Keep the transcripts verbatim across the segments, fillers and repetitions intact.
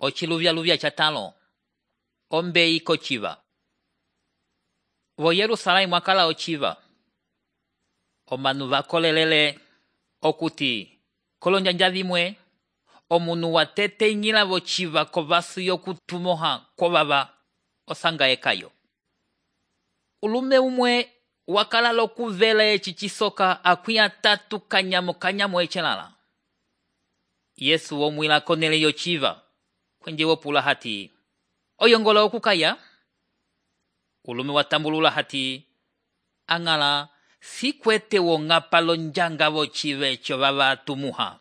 Ociluvya-luvya catalo, ombeyi kociva. Vo Yerusalemu mwakala ociva. Omanu vakolelele okuti kolonjanja vimwe omunu wateteñgila vociva kovasu yokutumoha kovava osanga ekayo. Ulume umwe wakala lokuvela eci cisoka akwi atatu kanyamo kanyamo ecelala. Yesu omwila konele yociva kwenje wopula hati oyongola okukaya. Ulume watambulula hati angala sikwete wongapa lonjanga vociva eco vava tumuha.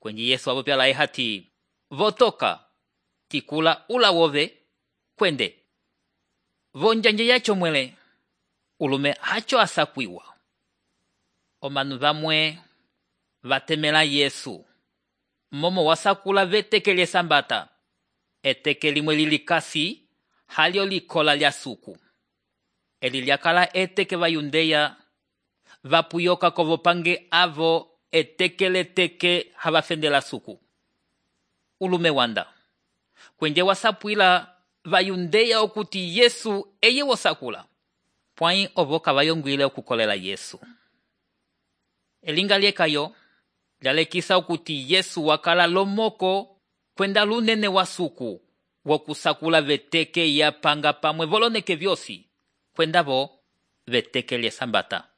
Kwenje Yesu wapopyala hati votoka tikula ula wove kwende. Vonjanje yacho mwele ulume hacho asakwiwa. Omanu vamwe vatemela Yesu momo wasakula vetekele sambata. Eteke limwe lilikasi halio likola lya suku. Eli lyakala eteke vayundeya vapuyoka kovopange avo etekele teke havafendela suku. Ulume wanda kwenje wasapwila vayundeya okuti Yesu eye wosakula. Pwai ovo kavayongwile okukolela Yesu. Elinga liekayo lyalekisa okuti Yesu wakala lomoko kwenda lunene wa suku wokusakula veteke yapanga pamwe voloneke vyosi kwenda vo veteke lye sambata.